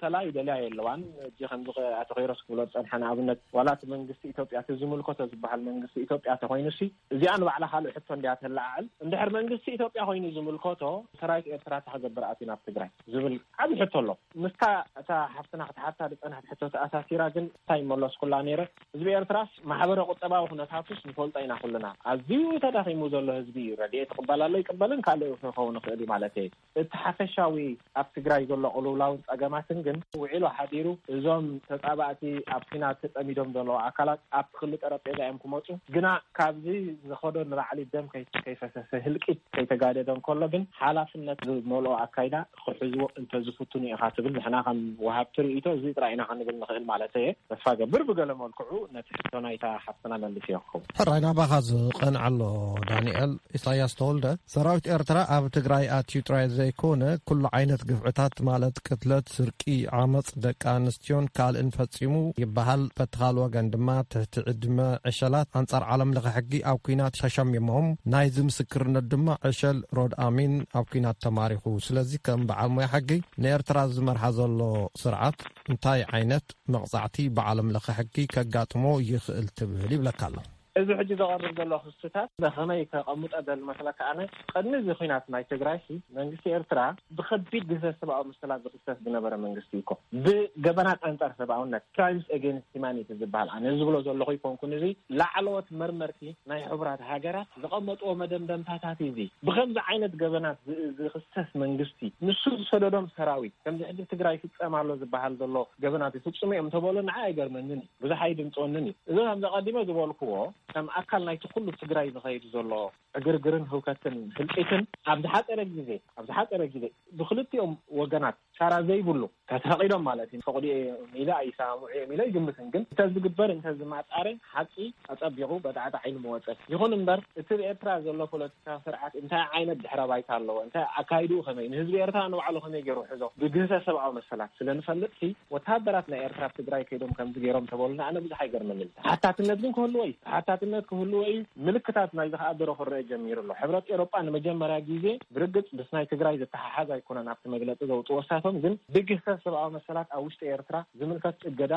ተላዩ ደልያ የለዋን። እጂ ከምዚ ኣቶ ኸይሮስ ክብሎ ዝጸንሐ ንኣብነት ዋላ እቲ መንግስቲ ኢትዮጵያ እቲ ዝምልከቶ ዝበሃል መንግስቲ ኢትዮጵያ ተኾይኑ ሲ እዚኣ ንባዕላ ካልእ ሕቶ እንድያ ተለዓዕል። እንድሕር መንግስቲ ኢትዮጵያ ኮይኑ ዝምልከቶ ሰራዊት ኤርትራ እንታይ ክገብር ኣትዩ ናብ ትግራይ ዝብል ዓቢ ሕቶ ኣሎ። ምስታ እታ ሓፍትና ክትሓታ ዝጸንሐት ሕቶ ተኣሳሲራ ግን እንታይ ይመለስኩላ ነይረ? ህዝቢ ኤርትራስ ማሕበረ ቁጠባዊ ኩነታቱስ ንፈልጦ ኢና ኩልና። ኣዝዩ ተዳኺሙ ዘሎ ህዝቢ እዩ። ረድኤት ይቕበል ኣሎ ይቅበልን ካልእ ክኸውን ይኽእል እዩ ማለት እየ። እቲ ሓፈሻዊ ኣብ ትግራይ ዘሎ ቅልውላውን ጸገማትን ግን ውዒሉ ሓዲሩ እዞም ተጻባእቲ ኣብ ኲናት ተጸሚዶም ዘለዉ ኣካላት ኣብቲ ክሊ ጠረጴዛ እዮም ክመጹ። ግና ካብዚ ዝኸዶ ንላዕሊ ደም ከይ-፣ ከይፈሰሰ ህልቂት ከይተጋደደ እንከሎ ግን ሓላፍነት ዝመልኦ ኣካይዳ ክሕዝዎ እንተዝፍትኑ ኢኻ ትብል። ንሕና ከም ወሃብቲ ርእይቶ እዚ ጥራይ ኢና ክንብል ንኽእል ማለት እየ። ተስፋ ገብር ብገለ መልክዑ ነቲ ሕቶ ናይታ ሓፍትና መልስ ይረክቡ። ሕራይ ናባኻ ዝቐንዐ ኣሎ ዳንኤል። ኢሳያስ ተወልደ ሰራዊት ኤርትራ ኣብ ትግራይ ኣትዩ ጥራይ ዘይኮነ ኩሉ ዓይነት ግፍዕታት ማለት ቅትለት፣ ስርቂ፣ ዓመፅ፣ ደቂ ኣንስትዮን ካልእን ፈፂሙ ይበሃል። እቲ ካልእ ወገን ድማ ትሕቲ ዕድመ ዕሸላት ኣንጻር ዓለም ለኸ ሕጊ ኣብ ኲናት ተሸሚሞም፣ ናይዚ ምስክርነት ድማ ዕሸል ሮድ ኣሚን ኣብ ኲናት ተማሪኹ። ስለዚ ከም በዓል ሞያ ሕጊ ንኤርትራ ዝመርሓ ዘሎ ስርዓት እንታይ ዓይነት መቕጻዕቲ ብዓለም ለኸ ሕጊ ከጋጥሞ ይኽእል ትብል ይብለካ ኣሎ። እዚ ሕጂ ዘቐርብ ዘሎ ክስታት ብኸመይ ከቐምጦ ደል መስለካ? ኣነ ቅድሚ እዚ ኲናት ናይ ትግራይ ሲ መንግስቲ ኤርትራ ብኸቢድ ግህሰት ሰብኣዊ መሰላት ዝኽሰስ ዝነበረ መንግስቲ እዩ እኮ። ብገበናት ኣንጻር ሰብኣውነት፣ crimes against humanity ዝበሃል፣ ኣነ ዝብሎ ዘለኹ ይኮንኩን፣ እዚ ላዕለዎት መርመርቲ ናይ ሕቡራት ሃገራት ዘቐመጥዎ መደምደምታታት እዩ። እዚ ብኸምዚ ዓይነት ገበናት ዝ- ዝኽሰስ መንግስቲ፣ ንሱ ዝሰደዶም ሰራዊት፣ ከምዚ ሕጂ ትግራይ ይፍጸም ኣሎ ዝበሃል ዘሎ ገበናት ይፍጽሙ እዮም ተበሉ፣ ንዓ ኣይገርመንን እዩ፣ ብዙሕ ኣይድንጽወንን እዩ። እዚ ከምዚ ቀዲመ ዝበልክዎ ከም ኣካል ናይቲ ኩሉ ትግራይ ዝኸይድ ዘሎ ዕግርግርን ህውከትን ህልቂትን ኣብ ዝሓፀረ ግዜ፣ ኣብ ዝሓፀረ ግዜ ብክልቲኦም ወገናት ሻራ ዘይብሉ ተፈቂዶም ማለት እዩ። ፈቅዱ እዮም ኢለ ኣይሰማምዑ እዮም ኢለ ይግምትን፣ ግን እንተዝግበር እንተዝማፃረ ሓቂ ኣፀቢቁ በጣዕጣ ዓይኒ መወፀት። ይኹን እምበር እቲ ብኤርትራ ዘሎ ፖለቲካ ስርዓት እንታይ ዓይነት ድሕረ ባይታ ኣለዎ፣ እንታይ ኣካይድኡ ከመይ፣ ንህዝቢ ኤርትራ ንባዕሉ ከመይ ገይሩ ሕዞ ብግህሰ ሰብኣዊ መሰላት ስለ ንፈልጥ ሲ ወታደራት ናይ ኤርትራ ኣብ ትግራይ ከይዶም ከምዚ ገይሮም ተበሉና ኣነ ብዙሕ ኣይገርመንን። ተሓታትነት ግን ክህልዎ እዩ። ተሓታትነት ክህልዎ እዩ። ምልክታት ናይዚ ከኣ ድሮ ክረአ ጀሚሩ ኣሎ። ሕብረት ኤሮጳ ንመጀመርያ ግዜ ብርግጽ ምስ ናይ ትግራይ ዝተሓሓዝ ኣይኮነን ኣብቲ መግለጺ ዘውጽዎ እሳቶም፣ ግን ብግህሰት ሰብኣዊ መሰላት ኣብ ውሽጢ ኤርትራ ዝምልከት እገዳ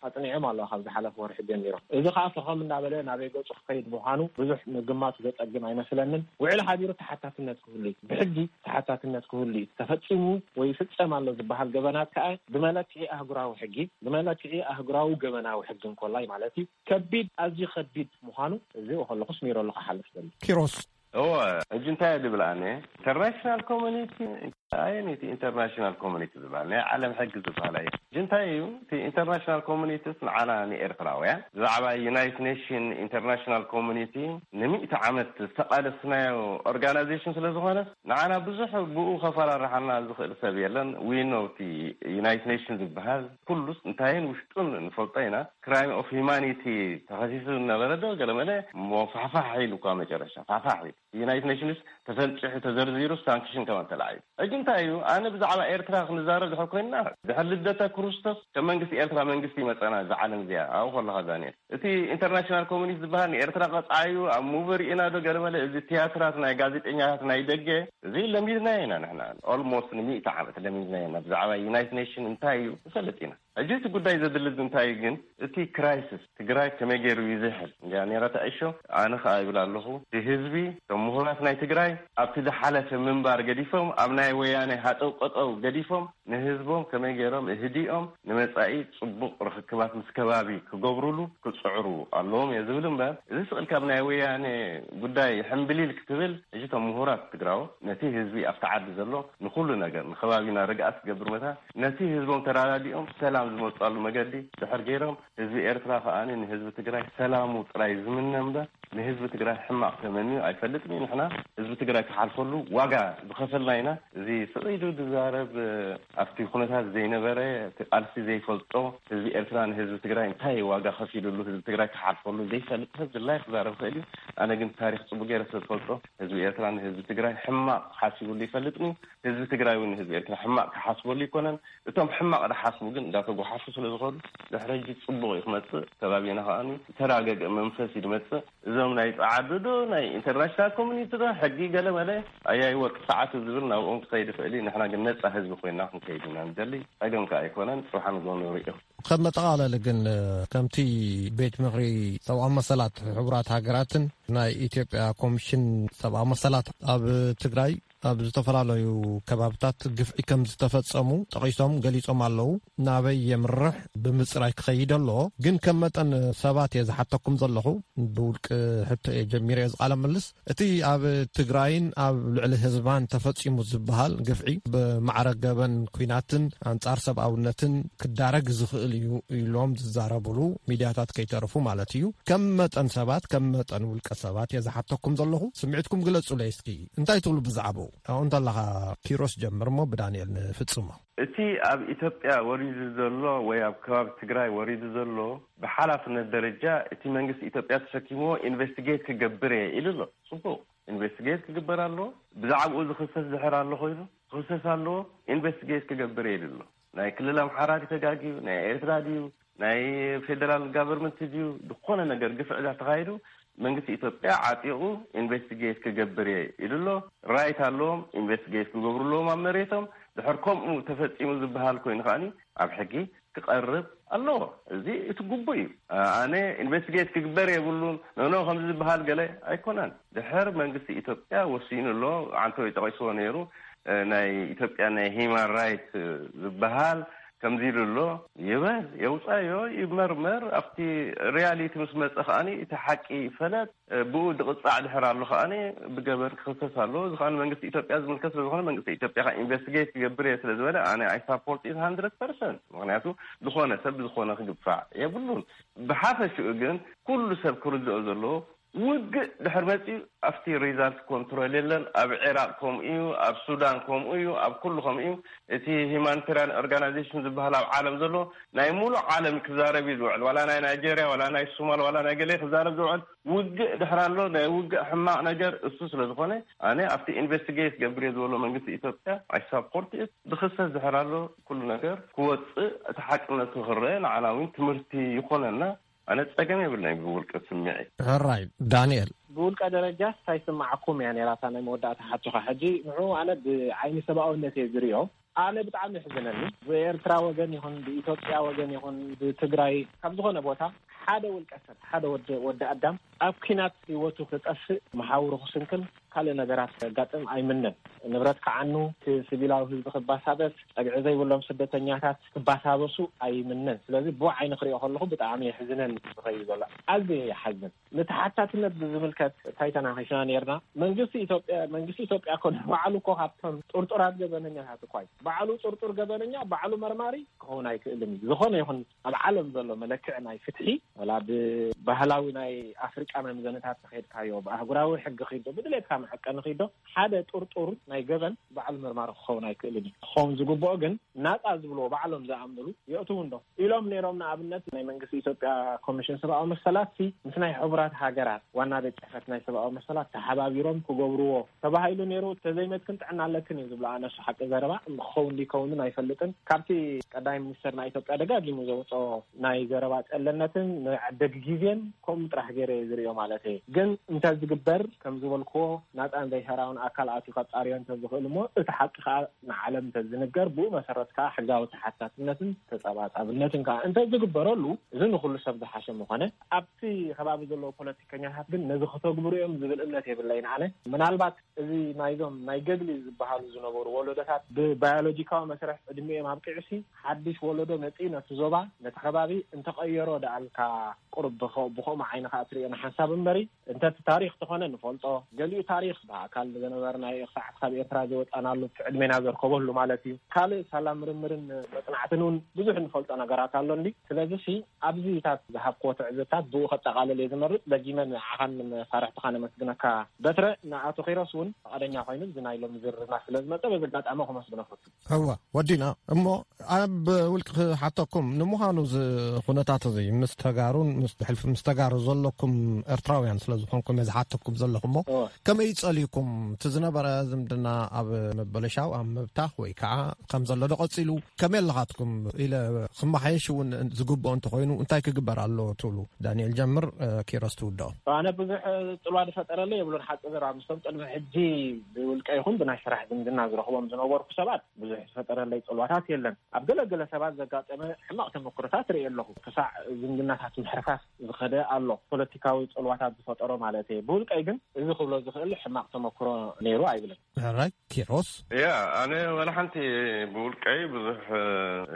ኣጽኒዖም ኣለዉ ካብ ዝሓለፈ ወርሒ ጀሚሮም። እዚ ከኣ ፈኸም እናበለ ናበይ ገጹ ክኸይድ ምዃኑ ብዙሕ ምግማቱ ዘጸግም ኣይመስለንን። ውዕል ሓቢሩ ተሓታትነት ክህሉ እዩ። ብሕጊ ተሓታትነት ክህሉ እዩ። ተፈጺሙ ወይ ይፍጸም ኣሎ ዝበሃል ገበናት ከኣ ብመለክዒ ኣህጉራዊ ሕጊ፣ ብመለክዒ ኣህጉራዊ ገበናዊ ሕጊ እንኮላይ ማለት እዩ፣ ከቢድ፣ ኣዝዩ ከቢድ ምዃኑ እዚ ከለኹ ስሚረሉ ክሓልፍ ደሊ። ኪሮስ። እወ፣ ሕጂ እንታይ እየ ዝብል ኣነ? ኢንተርናሽናል ኮሚኒቲ፣ ኣየነይቲ ኢንተርናሽናል ኮሚኒቲ ዝበሃል? ናይ ዓለም ሕጊ ዝበሃል ኣየ? ሕጂ እንታይ እዩ? እቲ ኢንተርናሽናል ኮሚኒቲስ ንዓና ንኤርትራውያን ብዛዕባ ዩናይትድ ኔሽን ኢንተርናሽናል ኮሚኒቲ ንሚእቲ ዓመት ዝተቓለስናዮ ኦርጋናይዜሽን ስለ ዝኾነ ንዓና ብዙሕ ብኡ ከፈራርሓና ዝኽእል ሰብ የለን። We know እቲ ዩናይትድ ኔሽን ዝበሃል ኩሉስ እንታይን ውሽጡን ንፈልጦ ኢና። ክራይም ኦፍ ሂማኒቲ ተኸሲሱ ዝነበረ ዶ ገለመለ እሞ ፋሕፋሕ ኢሉ እኳ መጨረሻ ፋሕፋሕ ኢሉ። ዩናይትድ ኔሽንስ ተፈንጭሑ ተዘርዚሩ ሳንክሽን ከማን ተላዒሉ። ሕጂ እንታይ እዩ? ኣነ ብዛዕባ ኤርትራ ክንዛረብ ድሕር ኮይንና ድሕር ልደተ ክርስቶስ ከም መንግስቲ ኤርትራ መንግስቲ ይመጸና እዛ ዓለም እዚኣ ኣብኡ ከለኻ ዳንኤል። እቲ ኢንተርናሽናል ኮሚኒቲ ዝበሃል ንኤርትራ ቀጻዩ ኣብ ሙቪ ርኢና ዶ ገለመለ እዚ ትያትራት ናይ ጋዜጠኛታት ናይ ደገ እዚ ለሚድናዮ ኢና ንሕና። ኦልሞስት ንሚእቲ ዓመት ለሚድናዮ ኢና። ብዛዕባ ዩናይትድ ኔሽን እንታይ እዩ ንፈልጥ ኢና። ሕጂ እቲ ጉዳይ ዘድሊ እንታይ እዩ ግን እቲ ክራይሲስ ትግራይ ከመይ ገይሩ ይዝሕል እንዲያ ነይራ ተዕሾ። ኣነ ከኣ ይብል ኣለኹ እቲ ህዝቢ እቶም ምሁራት ናይ ትግራይ ኣብቲ ዝሓለፈ ምንባር ገዲፎም ኣብ ናይ ወያነ ሃጠው ቀጠው ገዲፎም ንህዝቦም ከመይ ገይሮም እህዲኦም ንመጻኢ ጽቡቕ ርኽክባት ምስ ከባቢ ክገብሩሉ ክጽዕሩ ኣለዎም እየ ዝብል እምበር እዚ ስቕል ካብ ናይ ወያነ ጉዳይ ሕምብሊል ክትብል ሕጂ እቶም ምሁራት ትግራዎ ነቲ ህዝቢ ኣብቲ ዓዲ ዘሎ ንኹሉ ነገር ንከባቢና ርግኣት ክገብር መታ ነቲ ህዝቦም ተራዳዲኦም ሰላም ዝመጻሉ መገዲ ድሕር ገይሮም ህዝቢ ኤርትራ ከኣ ንህዝቢ ትግራይ ሰላሙ ጥራይ ዝምነ እምበር ንህዝቢ ትግራይ ሕማቕ ተመንዩ ኣይፈልጥን እዩ። ንሕና ህዝቢ ትግራይ ክሓልፈሉ ዋጋ ዝኸፈልና ኢና። እዚ ስቕ ኢሉ ዝዛረብ ኣብቲ ኩነታት ዘይነበረ እቲ ቃልሲ ዘይፈልጦ ህዝቢ ኤርትራ ንህዝቢ ትግራይ እንታይ ዋጋ ከፊሉሉ ህዝቢ ትግራይ ክሓልፈሉ ዘይፈልጥ ሰብ ድላይ ክዛረብ ክእል እዩ። ኣነ ግን ታሪኽ ጽቡቅ ገይረ ስለ ዝፈልጦ ህዝቢ ኤርትራ ንህዝቢ ትግራይ ሕማቕ ሓሲቡሉ ይፈልጥን እዩ። ህዝቢ ትግራይ እውን ንህዝቢ ኤርትራ ሕማቕ ክሓስበሉ ይኮነን። እቶም ሕማቕ ዝሓስቡ ግን እንዳተጓሓፉ ስለ ዝኸዱ ድሕሪ ሕጂ ጽቡቕ እዩ ክመጽእ። ከባቢና ከኣ ዝተራገገ መንፈስ እዩ ዝመጽእ። እዞም ናይ ጸዓዱ ዶ ናይ ኢንተርናሽናል ኮሚኒቲ ዶ ሕጊ ገለ መለ ኣያይ ወርቂ ሰዓቱ ዝብል ናብኦም ክኸይድ ይኽእል እዩ። ንሕና ግን ነጻ ህዝቢ ኮይና ክንከይድ ኢና ንደሊ። ጸገም ከኣ ኣይኮነን። ጽባሕ ንግሆ ንርእዮ። ከም መጠቓለሊ ግን ከምቲ ቤት ምኽሪ ሰብኣዊ መሰላት ሕቡራት ሃገራትን ናይ ኢትዮጵያ ኮሚሽን ሰብኣዊ መሰላት ኣብ ትግራይ ኣብ ዝተፈላለዩ ከባብታት ግፍዒ ከም ዝተፈጸሙ ጠቒሶም ገሊጾም ኣለዉ። ናበይ የምርሕ ብምጽራይ ክኸይድ ኣለዎ። ግን ከም መጠን ሰባት እየ ዝሓተኩም ዘለኹ። ብውልቂ ሕቶ እየ ጀሚረ እየ ዝቃለ ምልስ። እቲ ኣብ ትግራይን ኣብ ልዕሊ ህዝባን ተፈጺሙ ዝበሃል ግፍዒ ብማዕረ ገበን ኲናትን ኣንጻር ሰብኣውነትን ክዳረግ ዝኽእል እዩ ኢሎም ዝዛረብሉ ሚድያታት ከይተረፉ ማለት እዩ። ከም መጠን ሰባት፣ ከም መጠን ውልቀ ሰባት እየ ዝሓተኩም ዘለኹ። ስምዒትኩም ግለጹለይ እስኪ። እንታይ ትብሉ ብዛዕባኡ? ኣብኡ እንተለኻ ኪሮስ ጀምር እሞ ብዳንኤል ንፍጽሞ። እቲ ኣብ ኢትዮጵያ ወሪዱ ዘሎ ወይ ኣብ ከባቢ ትግራይ ወሪዱ ዘሎ ብሓላፍነት ደረጃ እቲ መንግስቲ ኢትዮጵያ ተሸኪምዎ ኢንቨስቲጌት ክገብር እየ ኢሉ ኣሎ። ጽቡቕ፣ ኢንቨስቲጌት ክግበር ኣለዎ። ብዛዕባኡ ዝኽሰስ ድሕር ኣሎ ኮይኑ ክኽሰስ ኣለዎ። ኢንቨስቲጌት ክገብር እየ ኢሉ ኣሎ። ናይ ክልል ኣምሓራ ድዩ ተጋግዩ፣ ናይ ኤርትራ ድዩ፣ ናይ ፌደራል ጋቨርንመንት ድዩ ዝኾነ ነገር ግፍዕ ዳ ተኻሂዱ መንግስቲ ኢትዮጵያ ዓጢቑ ኢንቨስቲጌት ክገብር እየ ኢሉ ኣሎ። ራይት ኣለዎም፣ ኢንቨስቲጌት ክገብሩ ኣለዎም ኣብ መሬቶም። ድሕር ከምኡ ተፈጺሙ ዝበሃል ኮይኑ ከዓኒ ኣብ ሕጊ ክቐርብ ኣለዎ። እዚ እቲ ግቡእ እዩ። ኣነ ኢንቨስቲጌት ክግበር የብሉን፣ ኖኖ ከምዚ ዝበሃል ገለ ኣይኮነን። ድሕር መንግስቲ ኢትዮጵያ ወሲኑ ኣሎ። ዓንተወይ ጠቒስዎ ነይሩ። ናይ ኢትዮጵያ ናይ ሂማን ራይት ዝበሃል ከምዚ ኢሉ ኣሎ። ይበል፣ የውፃዮ፣ ይመርመር። ኣብቲ ሪያሊቲ ምስ መፀ ከዓኒ እቲ ሓቂ ይፈለጥ። ብኡ ድቕፃዕ ድሕር ኣሎ ከዓኒ ብገበን ክኽሰስ ኣለዎ። እዚ ከዓኒ መንግስቲ ኢትዮጵያ ዝምልከት ስለዝኾነ መንግስቲ ኢትዮጵያ ከዓ ኢንቨስቲጌት ክገብር እየ ስለዝበለ ኣነ ኣይ ሳፖርት ኢት ሃንድረድ ፐርሰንት። ምክንያቱ ዝኾነ ሰብ ብዝኾነ ክግፋዕ የብሉን። ብሓፈሽኡ ግን ኩሉ ሰብ ክርድኦ ዘለዎ ውግእ ድሕር መፂኡ ኣብቲ ሪዛልት ኮንትሮል የለን። ኣብ ዒራቅ ከምኡ እዩ፣ ኣብ ሱዳን ከምኡ እዩ፣ ኣብ ኩሉ ከምኡ እዩ። እቲ ሂማኒታሪያን ኦርጋናይዜሽን ዝበሃል ኣብ ዓለም ዘሎ ናይ ሙሉእ ዓለም ክዛረብ እዩ ዝውዕል። ዋላ ናይ ናይጄሪያ፣ ዋላ ናይ ሱማል፣ ዋላ ናይ ገሌ ክዛረብ ዝውዕል ውግእ ድሕር ኣሎ። ናይ ውግእ ሕማቕ ነገር እሱ ስለዝኾነ ኣነ ኣብቲ ኢንቨስቲጌት ገብር እየ ዝበሎ መንግስቲ ኢትዮጵያ ኣይ ሳፖርት ኢት። ዝኽሰስ ድሕር ኣሎ ኩሉ ነገር ክወፅእ እቲ ሓቅነቱ ክረአ ንዓና እውን ትምህርቲ ይኾነና። ኣነ ጸገም የብለይ ብውልቀ ስምዒ። ሕራይ ዳንኤል። ብውልቀ ደረጃ ሳይስማዓኩም እያ ነራታ ናይ መወዳእታ ሓቶኻ። ሕጂ ንዑ ኣነ ብዓይኒ ሰብኣውነት እየ ዝሪኦ። ኣነ ብጣዕሚ ይሕዝነኒ። ብኤርትራ ወገን ይኹን ብኢትዮጵያ ወገን ይኹን ብትግራይ ካብ ዝኾነ ቦታ ሓደ ውልቀ ሰብ ሓደ ወዲ ኣዳም ኣብ ኲናት ህይወቱ ክጠፍእ መሓውሩ ክስንክል ካልእ ነገራት ከጋጥም ኣይምነን። ንብረት ክዓኑ፣ ሲቪላዊ ህዝቢ ክባሳበስ፣ ጸግዒ ዘይብሎም ስደተኛታት ክባሳበሱ ኣይምነን። ስለዚ ብኡ ዓይኒ ክሪኦ ከለኹ ብጣዕሚ የሕዝነን ዝኸይድ ዘሎ። ኣዝየ ይሓዝን። ንተሓታትነት ብዝምልከት እንታይ ተናኺስና ነርና? መንግስቲ ኢትዮጵያ መንግስቲ ኢትዮጵያ እኮ ንባዕሉ እኮ ካብቶም ጥርጡራት ገበነኛታት እኳ እዩ። ባዕሉ ጥርጡር ገበነኛ ባዕሉ መርማሪ ክኸውን ኣይክእልን እዩ። ዝኾነ ይኹን ኣብ ዓለም ዘሎ መለክዒ ናይ ፍትሒ ወላ ብባህላዊ ናይ ኣፍሪቃ መምዘንታት ተኸድካዮ ብኣህጉራዊ ሕጊ ኺዶ ብድሌትካ መዐቀኒ ኺዶ ሓደ ጥርጡር ናይ ገበን ባዕሉ መርማሪ ክኸውን ኣይክእልን እዩ። ክኸውን ዝግብኦ ግን ናፃ ዝብልዎ ባዕሎም ዝኣምንሉ የእትዉ እንዶ ኢሎም ነይሮም። ንኣብነት ናይ መንግስቲ ኢትዮጵያ ኮሚሽን ሰብኣዊ መሰላት ሲ ምስ ናይ ሕቡራት ሃገራት ዋና ቤት ፅሕፈት ናይ ሰብኣዊ መሰላት ተሓባቢሮም ክገብርዎ ተባሂሉ ነይሩ። ተዘይመትክን ጥዕና ኣለክን እዩ ዝብሎ። ኣነሱ ሓቂ ዘረባ ክኸውን ድይከውንን ኣይፈልጥን። ካብቲ ቀዳማይ ሚኒስተር ናይ ኢትዮጵያ ደጋጊሙ ዘውፅኦ ናይ ዘረባ ጨለነትን ንዕደግ ግዜን ከምኡ ጥራሕ ገይረ እየ ዝሪኦ ማለት እየ። ግን እንተዝግበር ከም ዝበልክዎ ናፃን ዘይሕራውን ኣካል ኣትዩ ከፃርዮ እንተዝኽእል እሞ እቲ ሓቂ ከዓ ንዓለም እንተዝንገር ብኡ መሰረት ከዓ ሕጋዊ ተሓታትነትን ተፀባፃብነትን ከዓ እንተዝግበረሉ እዚ ንኩሉ ሰብ ዝሓሸ ምኾነ። ኣብቲ ከባቢ ዘለዉ ፖለቲከኛታት ግን ነዚ ክተግብሩ እዮም ዝብል እምነት የብለይን ኣነ። ምናልባት እዚ ናይዞም ናይ ገድሊ ዝበሃሉ ዝነበሩ ወለዶታት ብባዮሎጂካዊ መስርሕ ዕድሚኦም ኣብቂዑሲ ሓድሽ ወለዶ መፂኡ ነቲ ዞባ ነቲ ከባቢ እንተቐየሮ ደኣልካ ቁሩብ ብኸ- ብኸምኡ ዓይኒ ከዓ ትሪኦ ንሓንሳብ እምበሪ እንተ እቲ ታሪክ ተኾነ ንፈልጦ ገሊኡ ታሪክ ብኣካል ዝነበርናዮ ክሳዕ ካብ ኤርትራ ዝወፃናሉ እቲ ዕድሜና ዘርከበሉ ማለት እዩ። ካልእ ሳላ ምርምርን መፅናዕትን እውን ብዙሕ ንፈልጦ ነገራት ኣሎ እንዲ ስለዚ ሲ ኣብዚታት ዝሃብክዎ ትዕዝብታት ብኡ ከጠቓልል እየ ዝመርፅ። ደጊመ ንዓኻን ንመሳርሕትኻ ነመስግነካ። በትረ ንኣቶ ኪሮስ እውን ፈቓደኛ ኮይኑ እዚ ናይ ሎሚ ዝርርብና ስለ ዝመፀ በዚ ኣጋጣሚ ከመስግኖ ፈቱ። እወ ወዲና እሞ ኣብ ውልቂ ክሓተኩም ንምዃኑ እዚ ኩነታት እዚ ምስ ተጋሩን ምስ ብሕልፊ ምስ ተጋሩ ዘለኩም ኤርትራውያን ስለ ዝኾንኩም እየ ዝሓተኩም ዘለኹ እሞ ከመይ ጸሊኩም እቲ ዝነበረ ዝምድና ኣብ ምብልሻው ኣብ ምብታኽ ወይ ከዓ ከም ዘሎ ዶ ቀጺሉ ከመይ ኣለኻትኩም ኢለ ክመሓየሽ እውን ዝግብኦ እንተኾይኑ እንታይ ክግበር ኣለዎ ትብሉ? ዳንኤል ጀምር፣ ኪሮስ ትውድኦ። ኣነ ብዙሕ ጽልዋ ዝፈጠረለይ የብሉን። ሓቂ ዘረባ ምስቶም ቅድሚ ሕጂ ብውልቀ ይኹን ብናይ ስራሕ ዝምድና ዝረኽቦም ዝነበርኩ ሰባት ብዙሕ ዝፈጠረለይ ጽልዋታት የለን። ኣብ ገለገለ ሰባት ዘጋጠመ ሕማቕ ተመክሮታት ርእየ ኣለኹ። ክሳዕ ዝምድናታት ምሕርፋፍ ዝኸደ ኣሎ። ፖለቲካዊ ጽልዋታት ዝፈጠሮ ማለት እየ። ብውልቀይ ግን እዚ ክብሎ ዝኽእል ሕማቕ ተመክሮ ነይሩ ኣይብልን። ሕራይ ኪሮስ። ያ ኣነ ወላ ሓንቲ ብውልቀይ ብዙሕ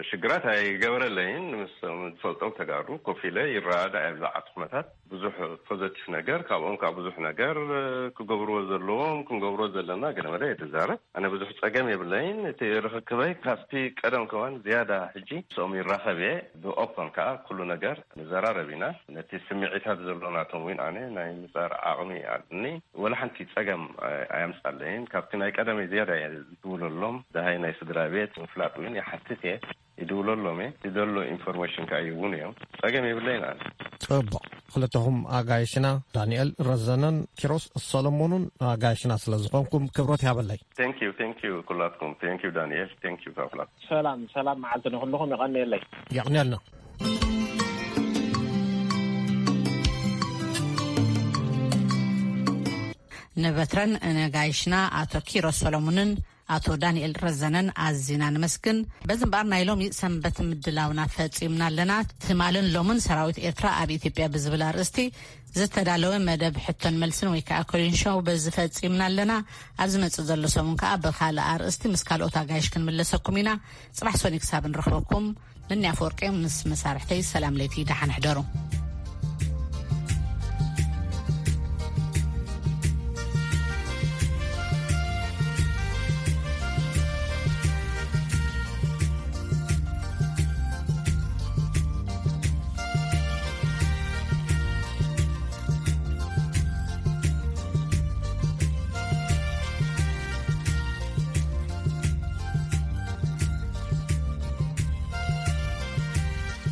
ሽግራት ኣይገበረለይን። ምስ ዝፈልጦም ተጋሩ ኮፍ ኢለ ይረዳዳ እየ ብዛዕባ እቲ ኩነታት ብዙሕ ፖዘቲቭ ነገር ካብኦም ከዓ ብዙሕ ነገር ክገብርዎ ዘለዎም ክንገብርዎ ዘለና ገለመለ እየ ዝዛረብ። ኣነ ብዙሕ ፀገም የብለይን። እቲ ርኽክበይ ካብቲ ቀደም ከማን ዝያዳ ሕጂ ምስኦም ይራኸብ እየ። ብኦፖን ከዓ ኩሉ ነገር ንዘራረብ ኢና። ነቲ ስምዒታት ዘሎ ናቶም እውን ኣነ ናይ ምፃር ዓቕሚ ኣለኒ። ወላ ሓንቲ ፀገም ኣየምፃለይን። ካብቲ ናይ ቀደመይ ዝያዳ እየ ዝድውለሎም። ደሃይ ናይ ስድራ ቤት ምፍላጥ እውን ይሓትት እየ። ይድውለሎም እየ። ዝደሎ ኢንፎርሜሽን ከዓ ይህቡን እዮም። ፀገም የብለይን ኣነ። ፅቡቕ። ክልተኹም ኣጋይሽና ዳንኤል ረዘነን ኪሮስ ሰሎሞኑን ኣጋይሽና ስለ ዝኾንኩም ክብረት ያበለይ። Thank you, thank you ኩላትኩም። Thank you ዳንኤል፣ thank you ካብ ኩላትኩም። ሰላም ሰላም መዓልቲ ንኹልኹም። የቐንየለይ። የቕንየልና። ንበትረን ነጋይሽና ኣቶ ኪሮስ ሰሎሙንን ኣቶ ዳንኤል ረዘነን ኣዚና ንመስግን። በዚ እምበኣር ናይ ሎሚ ሰንበት ምድላውና ፈጺምና ኣለና። ትማልን ሎምን ሰራዊት ኤርትራ ኣብ ኢትዮጵያ ብዝብል ኣርእስቲ ዝተዳለወ መደብ ሕቶን መልስን ወይ ከዓ ኮሊን ሾው በዚ ፈጺምና ኣለና። ኣብ ዝመጽእ ዘሎ ሰሙን ከዓ ብኻልእ ኣርእስቲ ምስ ካልኦት ኣጋይሽ ክንምለሰኩም ኢና። ጽባሕ ሶኒ ክሳብ ንረኽበኩም፣ ንኒ ኣፈወርቂ ምስ መሳርሕተይ ሰላም ለይቲ፣ ደሓን ሕደሩ።